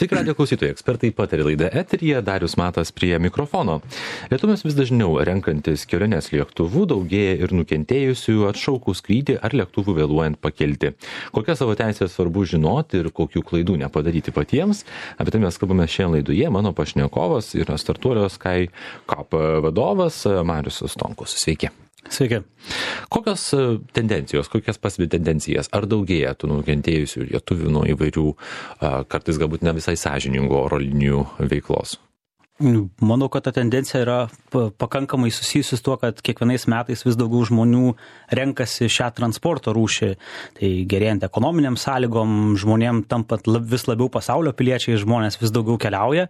Sveiki, radijo klausytojai, ekspertai pataria laida eteryje, Darius Matas prie mikrofono. Lietuviams vis dažniau renkantis keliones lėktuvu daugėja ir nukentėjusių atšaukus skrydį ar lėktuvų vėluojant pakelti. Kokias savo teisės svarbu žinoti ir kokių klaidų nepadaryti patiems, apie tai mes kalbame šiandien laidoje. Mano pašnekovas yra startuolio SkyCop vadovas Marius Stonkus. Sveiki. Sveiki. Kokios tendencijos, kokias pastebi tendencijas? Ar daugėja tų nukentėjusių lietuvių nuo įvairių, kartais galbūt ne visai sąžiningų oro linijų veiklos? Manau, kad ta tendencija yra pakankamai susijusi su tuo, kad kiekvienais metais vis daugiau žmonių renkasi šią transporto rūšį. Tai gerėjant ekonominiam sąlygom, žmonėm tampant vis labiau pasaulio piliečiai, žmonės vis daugiau keliauja,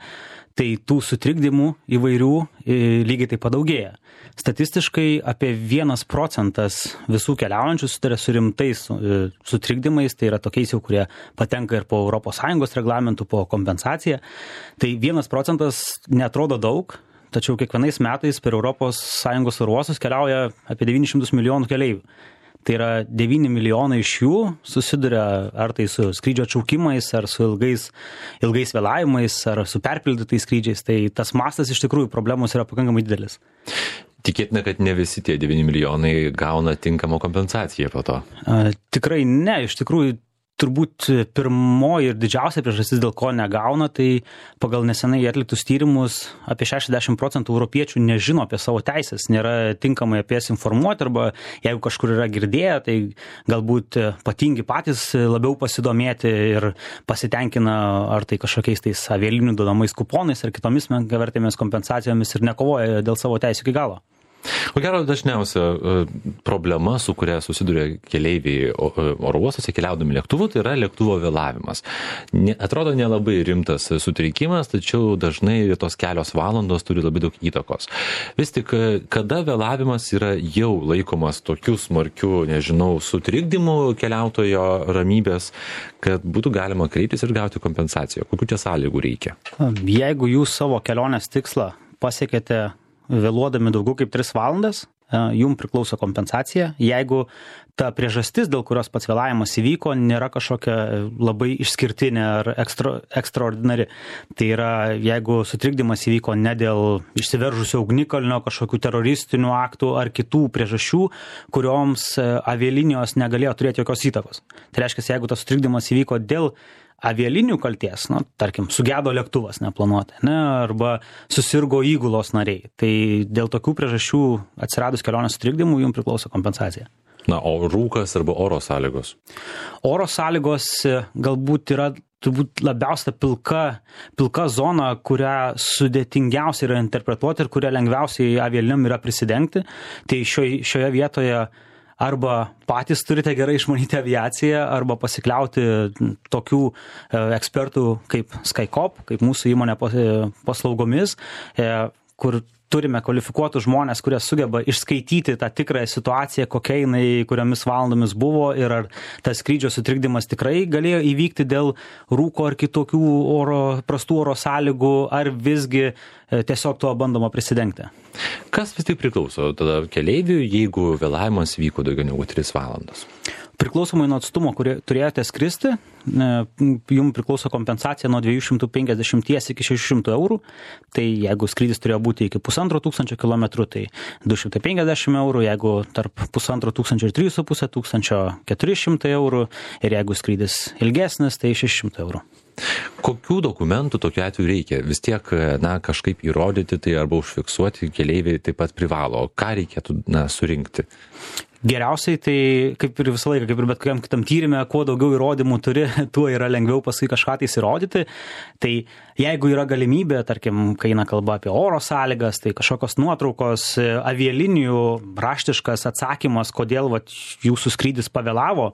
tai tų sutrikdymų įvairių lygiai taip padaugėja. Statistiškai apie 1% visų keliaujančių susiduria su rimtais sutrikdymais, tai yra tokiais jau, kurie patenka ir po ES reglamentų, po kompensaciją. Tai 1% neatrodo daug, tačiau kiekvienais metais per ES oro uostus keliauja apie 900 milijonų keleivių. Tai yra 9 milijonai iš jų susiduria ar tai su skrydžio atšaukimais, ar su ilgais vėlavimais, ar su perpildytais skrydžiais. Tai tas mastas iš tikrųjų problemos yra pakankamai didelis. Tikėtina, kad ne visi tie 9 milijonai gauna tinkamą kompensaciją po to. Tikrai ne, iš tikrųjų turbūt pirmoji ir didžiausia priežastis, dėl ko negauna, tai pagal nesenai atliktus tyrimus apie 60% europiečių nežino apie savo teisės, nėra tinkamai apie jas informuoti, arba jeigu kažkur yra girdėję, tai galbūt patingi patys labiau pasidomėti ir pasitenkina ar tai kažkokiais tais avialinijų duodamais kuponais ar kitomis menkavertėmis kompensacijomis ir nekovoja dėl savo teisių iki galo. Ko gero dažniausia problema, su kuria susiduria keleiviai oro uostuose keliaudami lėktuvu, tai yra lėktuvo vėlavimas. Atrodo nelabai rimtas sutrikimas, tačiau dažnai tos kelios valandos turi labai daug įtakos. Vis tik, kada vėlavimas yra jau laikomas tokiu smarkiu, sutrikdymu keliautojo ramybės, kad būtų galima kreiptis ir gauti kompensaciją? Kokių čia sąlygų reikia? Jeigu jūs savo kelionės tikslą pasiekėte vėluodami daugiau kaip 3 valandas, jums priklauso kompensacija. Jeigu ta priežastis, dėl kurios pats vėlavimas įvyko, nėra kažkokia labai išskirtinė ar ekstraordinari. Tai yra, jeigu sutrikdymas įvyko ne dėl išsiveržusio ugnikalnio, kažkokių teroristinių aktų ar kitų priežasčių, kurioms avialinijos negalėjo turėti jokios įtakos. Tai reiškia, jeigu tas sutrikdymas įvyko dėl avialinijų kalties, tarkim, sugedo lėktuvas neplanuotai, arba susirgo įgulos nariai. Tai dėl tokių priežasčių atsiradus kelionės sutrikdymų jums priklauso kompensacija. O rūkas arba oro sąlygos? Oro sąlygos galbūt yra turbūt labiausia pilka zona, kurią sudėtingiausia yra interpretuoti ir kurią lengviausiai avialinijom yra prisidengti. Tai šioje vietoje arba patys turite gerai išmanyti aviaciją, arba pasikliauti tokių ekspertų kaip SkyCop, kaip mūsų įmonė paslaugomis, kur turime kvalifikuotus žmonės, kurie sugeba išskaityti tą tikrąją situaciją, kokia jinai, kuriomis valandomis buvo ir ar tas skrydžio sutrikdymas tikrai galėjo įvykti dėl rūko ar kitokių prastų oro sąlygų, ar visgi tiesiog tuo bandoma prisidengti. Kas vis tik priklauso tada keleiviui, jeigu vėlavimas vyko daugiau negu 3 valandas? Priklausomai nuo atstumo, kurį turėjote skristi, jums priklauso kompensacija nuo 250 iki 600 eurų. Tai jeigu skrydis turėjo būti iki 1500 km, tai 250 eurų, jeigu tarp 1500 ir 3500 400 eurų ir jeigu skrydis ilgesnis, tai 600 eurų. Kokių dokumentų tokiu atveju reikia? Vis tiek, kažkaip įrodyti tai arba užfiksuoti keleiviai taip pat privalo. Ką reikėtų, surinkti? Geriausiai tai, kaip ir visą laiką, kaip ir bet kokiam kitam tyrime, kuo daugiau įrodymų turi, tuo yra lengviau paskui kažką tai įrodyti. Tai jeigu yra galimybė, tarkim, kai eina kalba apie oro sąlygas, tai kažkokios nuotraukos, avialinijų raštiškas atsakymas, kodėl jūsų skrydis pavėlavo,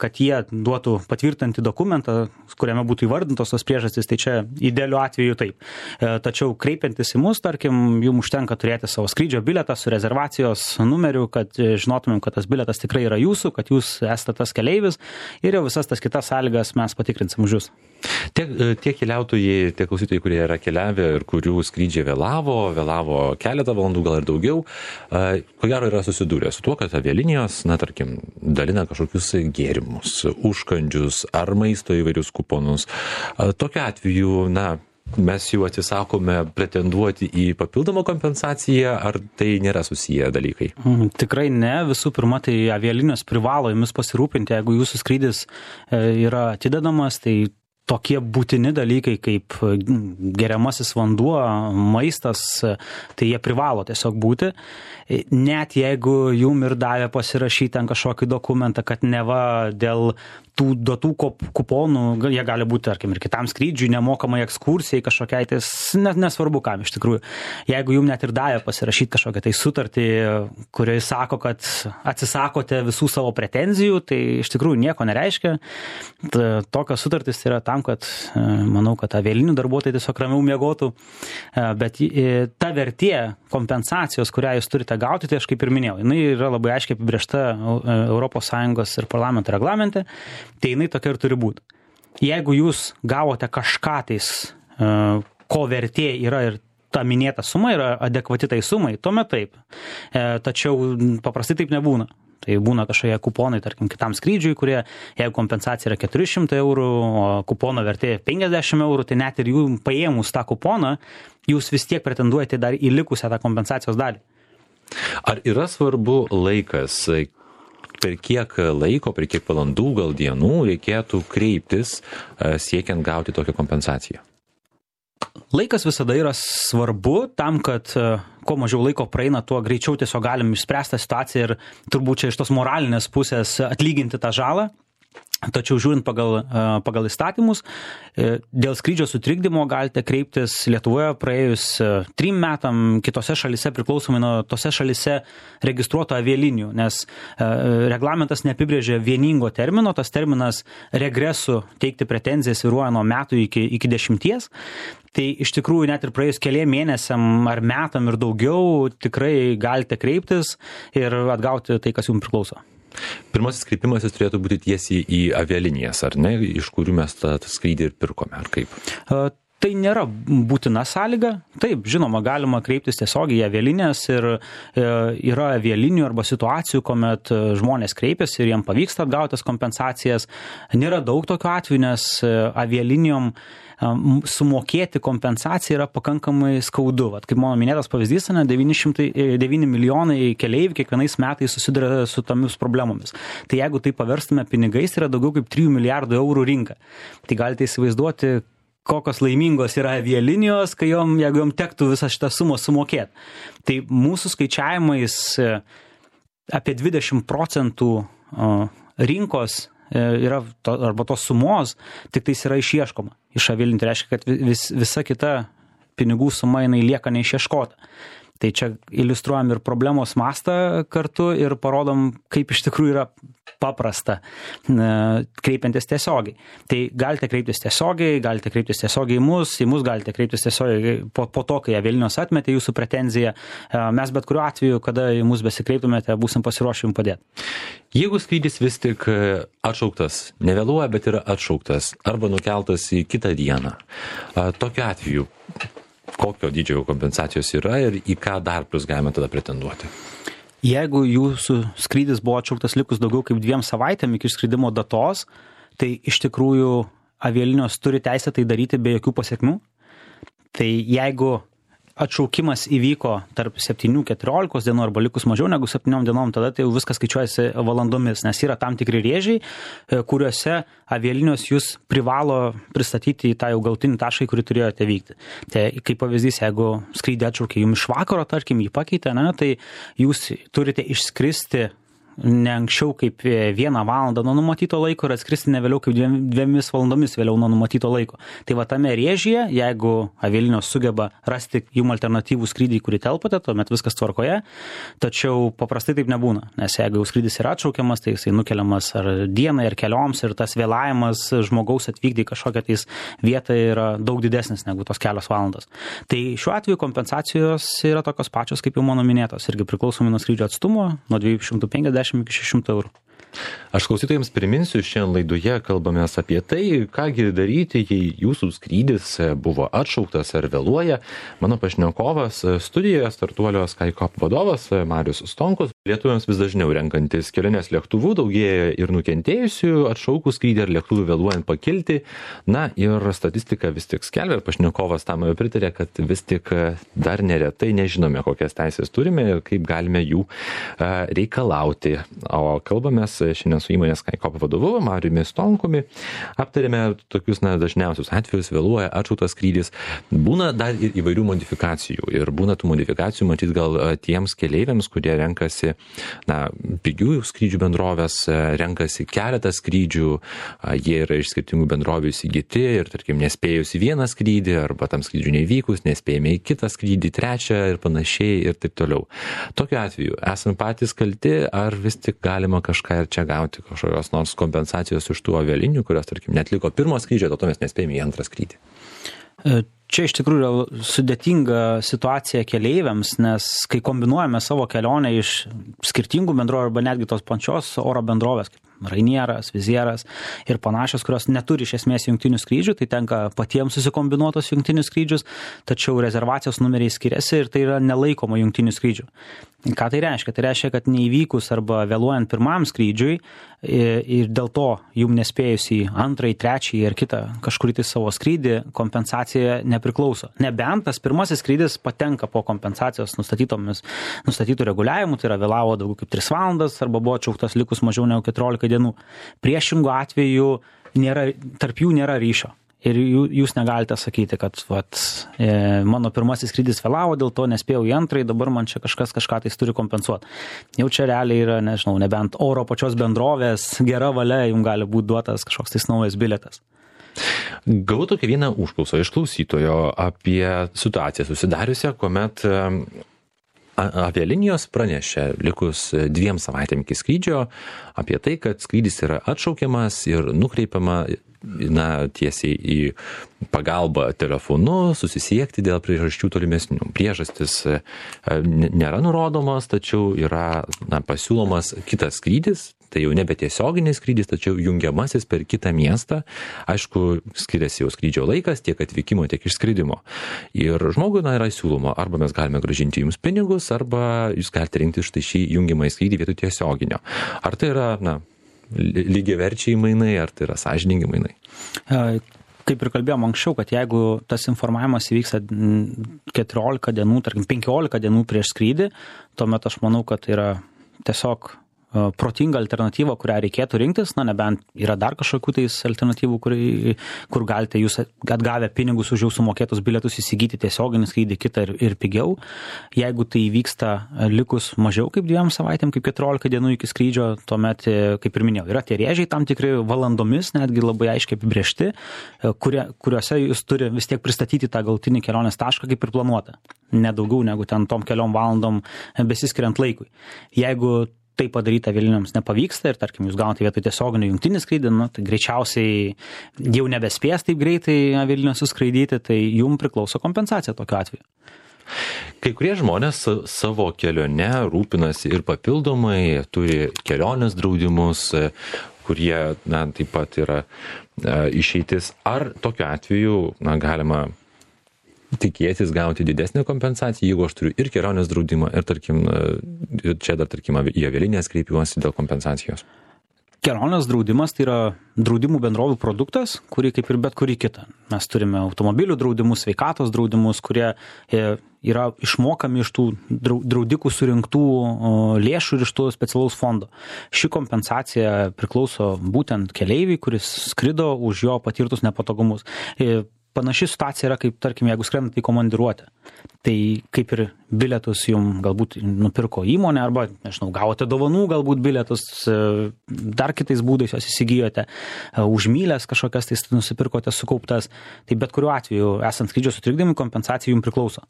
kad jie duotų patvirtinti dokumentą, kuriame būtų įvardintos tos priežastys, tai čia idealiu atveju taip. Tačiau kreipiantis į mus, tarkim, jums užtenka turėti savo skrydžio bilietą su rezervacijos numeriu, kad žinotumėte, žinotumėm, kad tas bilietas tikrai yra jūsų, kad jūs esate tas keleivis ir jau visas tas kitas sąlygas mes patikrinsim už jūs. Tie keliautojai, tie klausytojai, kurie yra keliavę ir kurių skrydžiai vėlavo keletą valandų, gal ir daugiau, ko gero yra susidūrę su tuo, kad avialinijos, tarkim, dalina kažkokius gėrimus, užkandžius ar maisto įvairius kuponus. Tokiu atveju, mes jau atsisakome pretenduoti į papildomą kompensaciją, ar tai nėra susiję dalykai? Tikrai ne. Visų pirma, tai avialinijos privalo jumis pasirūpinti, jeigu jūsų skrydis yra atidedamas, tai tokie būtini dalykai kaip geriamasis vanduo, maistas, tai jie privalo tiesiog būti. Net jeigu jum ir davė pasirašyti ant kažkokį dokumentą, kad neva dėl tų duotų kuponų, jie gali būti, tarkim, ir kitam skrydžiui, nemokamai ekskursijai kažkokiai, tai nesvarbu kam iš tikrųjų. Jeigu jum net ir davė pasirašyti kažkokią tai sutartį, kurioje sako, kad atsisakote visų savo pretenzijų, tai iš tikrųjų nieko nereiškia. Tokios sutartys yra tam, kad manau, kad avialinijų darbuotojai tiesiog ramiau miegotų, bet ta vertė kompensacijos, kurią jūs turite gauti, tai aš kaip ir minėjau, jinai yra labai aiškiai apibrėžta ES ir parlamento reglamente, tai jinai tokia ir turi būti. Jeigu jūs gavote kažką tais, ko vertė yra ir ta minėta suma yra adekvati tai sumai, tuomet taip. Tačiau paprastai taip nebūna. Tai būna kažkokie kuponai, tarkim, kitam skrydžiui, kurie, jeigu kompensacija yra 400 eurų, o kupono vertė 50 eurų, tai net ir jų paėmus tą kuponą, jūs vis tiek pretenduojate dar į likusią tą kompensacijos dalį. Ar yra svarbu laikas, per kiek laiko, per kiek valandų, gal dienų reikėtų kreiptis siekiant gauti tokią kompensaciją? Laikas visada yra svarbu tam, kad kuo mažiau laiko praeina, tuo greičiau tiesiog galim išspręsti situaciją ir turbūt čia iš tos moralinės pusės atlyginti tą žalą. Tačiau žiūrint pagal įstatymus, dėl skrydžio sutrikdymo galite kreiptis Lietuvoje praėjus 3 metam, kitose šalise priklausomai nuo tose šalise registruoto avialinijų, nes reglamentas neapibrėžia vieningo termino, tas terminas regresų teikti pretenzijas svyruoja nuo metų iki 10. Tai iš tikrųjų net ir praėjus keliem mėnesiam ar metam ir daugiau tikrai galite kreiptis ir atgauti tai, kas jums priklauso. Pirmasis kreipimasis turėtų būti tiesiai į avialinijas, ar ne, iš kurių mes tą skrydį ir pirkome, ar kaip? Tai nėra būtina sąlyga. Taip, žinoma, galima kreiptis tiesiogiai į avialinijas ir yra avialinijų arba situacijų, kuomet žmonės kreipiasi ir jiem pavyksta atgauti tas kompensacijas. Nėra daug tokių atvejų, nes avialinijom sumokėti kompensaciją yra pakankamai skaudu. Vat, kaip mano minėtas pavyzdys, 9 milijonai keleivių kiekvienais metais susiduria su tomis problemomis. Tai jeigu tai paverstume pinigais, yra daugiau kaip 3 milijardų eurų rinka. Tai galite įsivaizduoti, kokios laimingos yra avialinijos, jeigu jom tektų visą šitą sumą sumokėti. Tai mūsų skaičiavimais apie 20% rinkos yra arba tos sumos, tik tais yra išieškoma iš avialinių. Tai reiškia, kad visa kita pinigų suma jinai lieka neišieškota. Tai čia iliustruojam ir problemos mastą kartu ir parodom, kaip iš tikrųjų yra paprasta kreipiantis tiesiogiai. Tai galite kreiptis tiesiogiai į mus galite kreiptis tiesiogiai po to, kai avialinijos atmetė jūsų pretenziją. Mes bet kuriuo atveju, kada į mus besikreiptumėte, būsim pasiruošę jums padėti. Jeigu skrydis vis tik atšauktas, nevėluoja, bet yra atšauktas arba nukeltas į kitą dieną, tokiu atveju kokio dydžio kompensacijos yra ir į ką dar plus galime tada pretenduoti? Jeigu jūsų skrydis buvo atšauktas likus daugiau kaip 2 savaitėm iki skridimo datos, tai iš tikrųjų avialinijos turi teisę tai daryti be jokių pasekmių. Tai jeigu atšaukimas įvyko tarp 7-14 dienų arba likus mažiau negu 7 dienom, tada tai jau viskas skaičiuojasi valandomis, nes yra tam tikri rėžiai, kuriuose avialinijos jūs privalo pristatyti į tą jau galutinį tašką, kurį turėjote vykti. Tai kaip pavyzdys, jeigu skrydį atšaukė jums iš vakaro, tarkim, jį pakeitė, tai jūs turite išskristi ne anksčiau kaip 1 valandą nuo numatyto laiko ir atskristi ne vėliau kaip 2 valandomis vėliau nuo numatyto laiko. Tai va tame rėžyje, jeigu avialinijos sugeba rasti jum alternatyvų skrydį, kurį telpate, tuomet viskas tvarkoje, tačiau paprastai taip nebūna, nes jeigu jau skrydis yra atšaukiamas, tai jisai nukeliamas ar dienai, ar kelioms ir tas vėlavimas žmogaus atvykti į kažkokią tais vietą yra daug didesnis negu tos kelios valandos. Tai šiuo atveju kompensacijos yra tokios pačios, kaip jau mano minėtos, irgi priklausomai nuo skrydžio atstumo, nuo 250 iki 600 eurų. Aš klausytojams priminsiu, šiandien laidoje kalbamės apie tai, kągi daryti, jei jūsų skrydis buvo atšauktas ar vėluoja. Mano pašnekovas studijoje startuolio SkyCop vadovas Marius Stonkus. Lietuviams vis dažniau renkantis keliones lėktuvų daugėja ir nukentėjusių atšaukus skrydį ar lėktuvų vėluojant pakilti. Na ir statistika vis tik skelbia, ir pašnekovas tam pritarė, kad vis tik dar neretai nežinome, kokias teisės turime ir kaip galime jų reikalauti. O kalbamės šiandien su įmonės SkyCop vadovu Mariumi Stonkumi. Aptarėme tokius dažniausius atvejus, vėluoja atšauktas skrydis. Būna dar ir įvairių modifikacijų. Ir būna tų modifikacijų, matyt, gal tiems keleiviams, kurie renkasi pigių skrydžių bendrovės, renkasi keletą skrydžių, jie yra iš skirtingų bendrovių įsigyti ir, tarkim, nespėjus į vieną skrydį arba tam skrydžių nevykus, nespėjame į kitą skrydį, trečią ir panašiai ir taip toliau. Tokiu atveju, esame patys kalti, ar vis tik galima kažką ir čia gauti kažkokios nors kompensacijos iš tų avialinių, kurios, tarkim, netliko pirmo skrydžio, to mes nespėjome į antrą skrydį? Čia iš tikrųjų yra sudėtinga situacija keleiviams, nes kai kombinuojame savo kelionę iš skirtingų bendrovių arba netgi tos pačios oro bendrovės, kaip Rainieras, Vizieras ir panašios, kurios neturi iš esmės jungtinių skrydžių, tai tenka patiems susikombinuotos jungtinius skrydžius, tačiau rezervacijos numeriai skiriasi ir tai yra nelaikoma jungtinių skrydžių. Ką tai reiškia? Tai reiškia, kad neįvykus arba vėluojant pirmam skrydžiui ir dėl to jum nespėjus į antrąjį, trečiąjį ir kitą kažkurį tai savo skrydį, kompensacija nepriklauso. Nebent tas pirmasis skrydis patenka po kompensacijos nustatytų reguliavimų, tai yra vėlavo daugiau kaip 3 valandas arba buvo atšauktas likus mažiau negu 14 dienų. Priešingų atveju tarp jų nėra ryšio. Ir jūs negalite sakyti, kad mano pirmasis skrydis vėlavo, dėl to nespėjau į antrąjį, dabar man čia kažkas kažką tai turi kompensuoti. Jau čia realiai yra, nežinau, nebent oro pačios bendrovės gera valia, jums gali būti duotas kažkoks tais naujas bilietas. Gavau tokią vieną užklausą iš klausytojo apie situaciją susidariusią, kuomet avialinijos pranešė likus 2 savaitėm iki skrydžio apie tai, kad skrydis yra atšaukiamas ir nukreipiama tiesiai į pagalbą telefonu, susisiekti dėl priežasčių tolimesnių. Priežastis nėra nurodomas, tačiau yra pasiūlomas kitas skrydis, tai jau nebe tiesioginis skrydis, tačiau jungiamasis per kitą miestą. Aišku, skiriasi jau skrydžio laikas tiek atvykimo, tiek išskridimo. Ir žmogui yra siūloma, arba mes galime grąžinti jums pinigus, arba jūs galite rinkti štai šį jungiamą skrydį vietoj tiesioginio. Ar tai yra, lygiaverčiai mainai, ar tai yra sąžiningi mainai? Kaip ir kalbėjom anksčiau, kad jeigu tas informavimas įvyksta 14 dienų, tarkim 15 dienų prieš skrydį, tuomet aš manau, kad tai yra tiesiog protinga alternatyva, kurią reikėtų rinktis, nebent yra dar kažkokių tais alternatyvų, kur galite jūs atgavę pinigus už jau sumokėtus bilietus įsigyti tiesioginį skrydį kitą ir pigiau. Jeigu tai vyksta likus mažiau kaip 2 savaitėm, kaip 14 dienų iki skrydžio, tuomet, kaip ir minėjau, yra tie rėžiai tam tikri valandomis, netgi labai aiškiai apibrėžti, kuriuose jūs turi vis tiek pristatyti tą galutinį kelionės tašką kaip ir planuota. Nedaugiau negu ten tom keliom valandom besiskiriant laikui. Jeigu tai padaryti avialinėms nepavyksta ir, tarkim, jūs gaunate vietoj tiesioginio jungtinį skrydį, tai greičiausiai jau nebespės taip greitai avialinės suskraidyti, tai jums priklauso kompensacija tokiu atveju. Kai kurie žmonės savo kelione rūpinasi ir papildomai, turi kelionės draudimus, kurie taip pat yra išeitis. Ar tokiu atveju galima tikėtis gauti didesnę kompensaciją, jeigu aš turiu ir kelionės draudimą, ir tarkim, į avialinės kreipiuosi dėl kompensacijos? Kelionės draudimas tai yra draudimų bendrovių produktas, kurį kaip ir bet kurį kitą. Mes turime automobilių draudimus, sveikatos draudimus, kurie yra išmokami iš tų draudikų surinktų lėšų ir iš tų specialaus fondo. Ši kompensacija priklauso būtent keleiviui, kuris skrido už jo patirtus nepatogumus. panaši situacija yra, kaip, tarkim, jeigu skrendate į komandiruotę. Tai kaip ir bilietus jums galbūt nupirko įmonė, arba, nežinau, gavote dovanų, galbūt bilietus, dar kitais būdais jos įsigijote, už mylės kažkokias tai nusipirkote sukauptas. Tai bet kuriuo atveju, esant skrydžio sutrikdymui, kompensacija jums priklauso.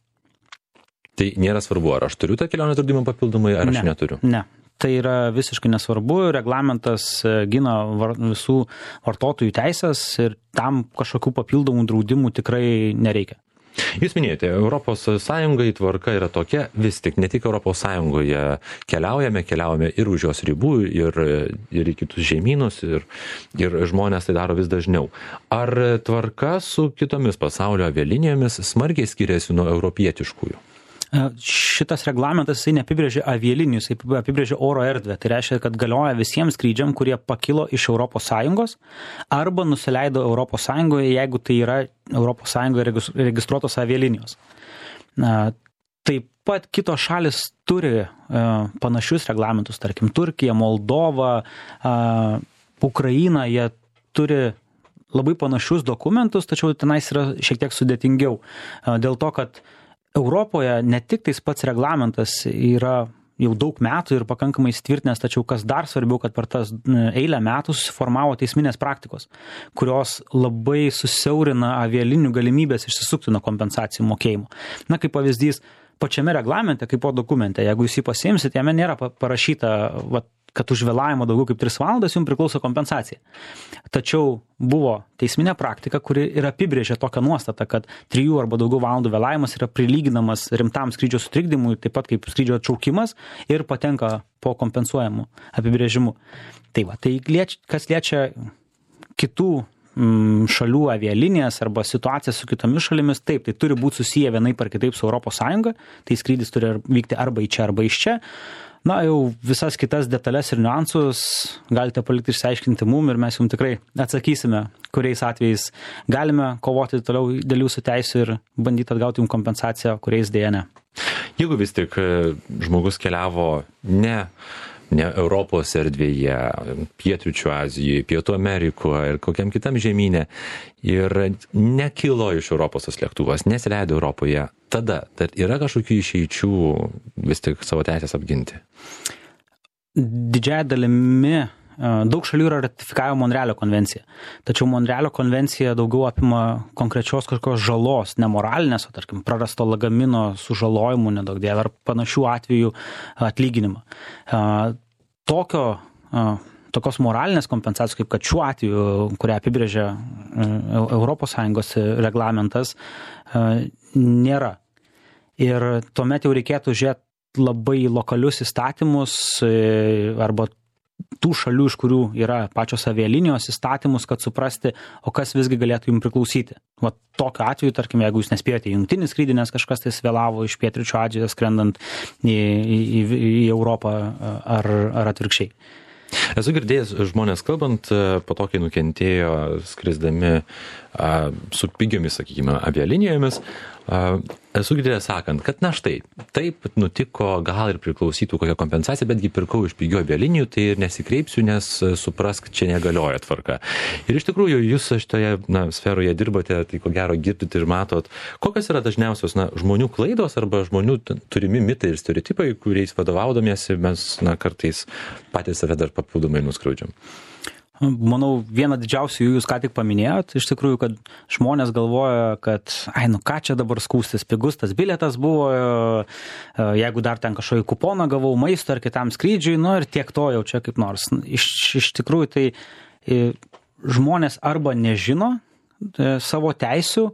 Tai nėra svarbu, ar aš turiu tą kelionės draudimą papildomai, ar aš neturiu? Ne. Tai yra visiškai nesvarbu, reglamentas gina visų vartotojų teisės ir tam kažkokių papildomų draudimų tikrai nereikia. Jūs minėjote, Europos Sąjungai tvarka yra tokia, vis tik ne tik Europos Sąjungoje keliaujame ir už jos ribų, ir į kitus žemynus, ir žmonės tai daro vis dažniau. Ar tvarka su kitomis pasaulio avialinijomis smarkiai skiriasi nuo europietiškųjų? Šitas reglamentas jisai neapibrėžia avialinijų, jisai apibrėžia oro erdvę. Tai reiškia, kad galioja visiems skrydžiam, kurie pakilo iš ES arba nusileido ES, jeigu tai yra ES registruotos avialinijos. Taip pat kitos šalis turi panašius reglamentus, tarkim Turkija, Moldova, Ukraina, jie turi labai panašius dokumentus, tačiau tenais yra šiek tiek sudėtingiau. Dėl to, kad Europoje ne tik tais pats reglamentas yra jau daug metų ir pakankamai įsitvirtinęs, tačiau kas dar svarbiau, kad per tas eilę metų susiformavo teisminės praktikos, kurios labai susiaurina avialinių galimybės išsisukti nuo kompensacijų mokėjimo. Na, kaip pavyzdys, pačiame reglamente, kaip po dokumente, jeigu jūs jį pasiimsit, jame nėra parašyta, kad už vėlavimą daugiau kaip 3 valandas jums priklauso kompensacija. Tačiau buvo teisminė praktika, kuri ir apibrėžė tokią nuostatą, kad 3 arba daugiau valandų vėlavimas yra prilyginamas rimtam skrydžio sutrikdymui, taip pat kaip skrydžio atšaukimas ir patenka po kompensuojamų apibrėžimų. Tai kas liečia kitų šalių avialinijas arba situacija su kitomis šalimis, taip, tai turi būti susiję vienaip ar kitaip su ES, tai skrydis turi vykti arba į čia, arba iš čia. Na, jau visas kitas detalės ir niuansus galite palikti išsiaiškinti mum ir mes jums tikrai atsakysime, kuriais atvejais galime kovoti toliau dėl jūsų teisių ir bandyti atgauti jums kompensaciją, kuriais dėja ne. Jeigu vis tik žmogus keliavo ne Europos erdvėje, Pietryčių Azijoje, Pietų Amerikoje ir kokiam kitam žemyne ir nekilo iš Europos tas lėktuvas, nesileido Europoje, tada yra kažkokių išeičių vis tik savo teisės apginti? Didžiąja dalimi daug šalių yra ratifikavę Monrealio konvenciją. Tačiau Monrealio konvencija daugiau apima konkrečios kažkokios žalos, nemoralinės, o tarkim prarasto lagamino sužalojimų nedaug dievė ar panašių atvejų atlyginimą. Tokios moralinės kompensacijos, kaip kad šiuo atveju, kurią apibrėžia ES reglamentas, nėra. Ir tuomet jau reikėtų žiūrėti labai lokalius įstatymus arba tų šalių, iš kurių yra pačios avialinijos įstatymus, kad suprasti, o kas visgi galėtų jums priklausyti. Tokiu atveju, tarkim, jeigu jūs nespėjote į jungtinį skrydį, nes kažkas tai vėlavo iš Pietryčių Azijos skrendant į Europą ar atvirkščiai. Esu girdėjęs žmonės kalbant, po to, kai nukentėjo skrisdami su pigiomis, sakykime, avialinijomis, esu girdėjęs sakant, kad na štai, taip nutiko, gal ir priklausytų kokią kompensaciją, betgi pirkau iš pigių avialinijų, tai ir nesikreipsiu, nes suprask, čia negalioja tvarka. Ir iš tikrųjų, jūs šitoje sferoje dirbate, tai ko gero girdite ir matot, kokios yra dažniausios žmonių klaidos arba žmonių turimi mitai ir stereotipai, kuriais vadovaudomėsi mes kartais patys save dar papildomai nuskriaudžiam. Manau, vieną didžiausių jūs ką tik paminėjot, iš tikrųjų, kad žmonės galvoja, kad, ką čia dabar skūstis, pigus tas bilietas buvo, jeigu dar ten kažkokį kuponą gavau maisto ar kitam skrydžiui, ir tiek to jau čia kaip nors. Iš tikrųjų, tai žmonės arba nežino savo teisių,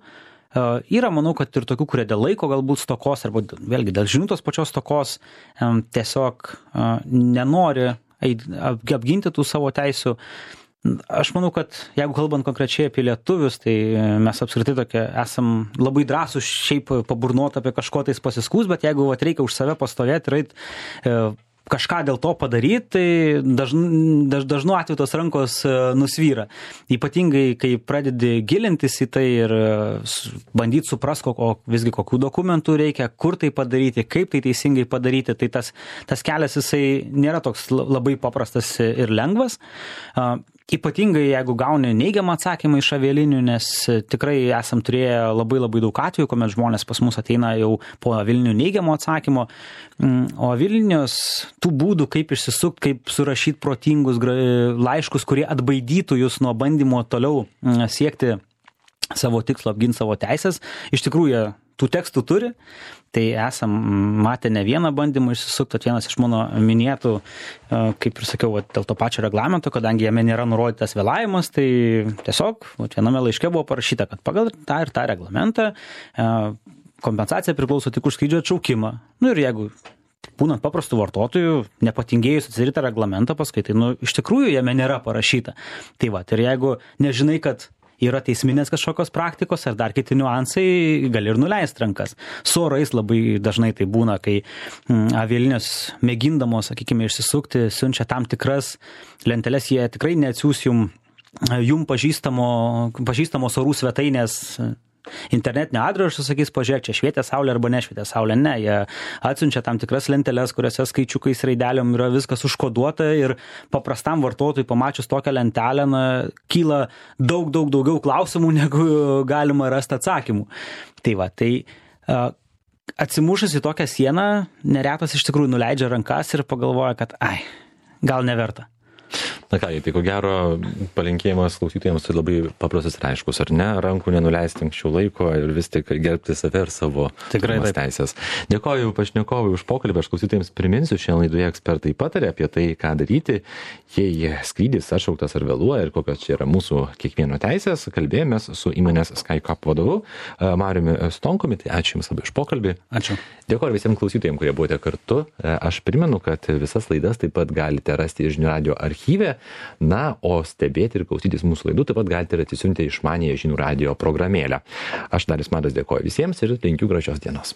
yra, manau, kad ir tokių, kurie dėl laiko galbūt stokos, arba vėlgi dėl žinių tos pačios stokos tiesiog nenori apginti tų savo teisių. Aš manau, kad jeigu kalbant konkrečiai apie lietuvius, tai mes apskritai tokie esam labai drąsūs šiaip paburnuoti apie kažko tais pasiskūs, bet jeigu reikia už save pastovėti ir kažką dėl to padaryti, tai dažnu atveju tos rankos nusvyra. Ypatingai, kai pradedi gilintis į tai ir bandyti suprasti, visgi kokių dokumentų reikia, kur tai padaryti, kaip tai teisingai padaryti, tai tas kelias jisai nėra toks labai paprastas ir lengvas. Ypatingai, jeigu gauni neigiamą atsakymą iš avialinių, nes tikrai esam turėję labai daug atvejų, kuomet žmonės pas mus ateina jau po avialinių neigiamo atsakymo, o avialinijos tų būdų, kaip išsisukti, kaip surašyti protingus laiškus, kurie atbaidytų jūs nuo bandymo toliau siekti savo tikslo, apginti savo teisės, iš tikrųjų tų tekstų turi, tai esam matę ne vieną bandymą išsisukti, vienas iš mano minėtų, kaip ir sakiau, dėl to pačio reglamento, kadangi jame nėra nurodytas vėlavimas, tai tiesiog viename laiške buvo parašyta, kad pagal tą ir tą reglamentą kompensacija priklauso tik už skrydžio atšaukimą. Ir jeigu būnant paprastų vartotojų, nepatingėjus atsidaryti reglamentą paskui, tai iš tikrųjų jame nėra parašyta. Tai ir jeigu nežinai, kad yra teisminės kažkokios praktikos ar dar kiti niuansai, gali ir nuleisti rankas. Su orais labai dažnai tai būna, kai avialinijos mėgindamos, sakykime, išsisukti, siunčia tam tikras lenteles, jie tikrai neatsiųs jum pažįstamos orų svetainės internetinio adreso, sakys, pažiūrėk, čia švietė saulė arba nešvietė saulė. Ne, jie atsiunčia tam tikras lenteles, kuriuose skaičiukais raideliom yra viskas užkoduota ir paprastam vartotojui pamačius tokią lentelę, kyla daug daugiau klausimų, negu galima rasti atsakymų. Tai atsimušęs į tokią sieną, neretas iš tikrųjų nuleidžia rankas ir pagalvoja, kad gal neverta. Na ką, tai ko gero palinkėjimas klausytojams tai labai paprastas ir aiškus, ar ne? Rankų nenuleisti anksčiau laiko ir vis tik gerbti save ir savo teisės. Dėkoju pašnekovui už pokalbį, aš klausytojams priminsiu, šiandien laidoje ekspertai patarė apie tai, ką daryti, jei skrydis atšauktas ar vėluoja ir kokios čia yra mūsų kiekvieno teisės. Kalbėjomės su įmonės SkyCap vadovu Mariumi Stonkumi, tai ačiū Jums labai už pokalbį. Ačiū. Dėkoju visiems klausytojams, kurie buvote kartu. Aš primenu, kad visas laidas taip pat galite rasti Žinių radijo archyve. O stebėti ir klausytis mūsų laidų taip pat galite ir atsisiuntę išmaniąją Žinių radijo programėlę. Aš Darius Matas dėkoju visiems ir linkiu gražios dienos.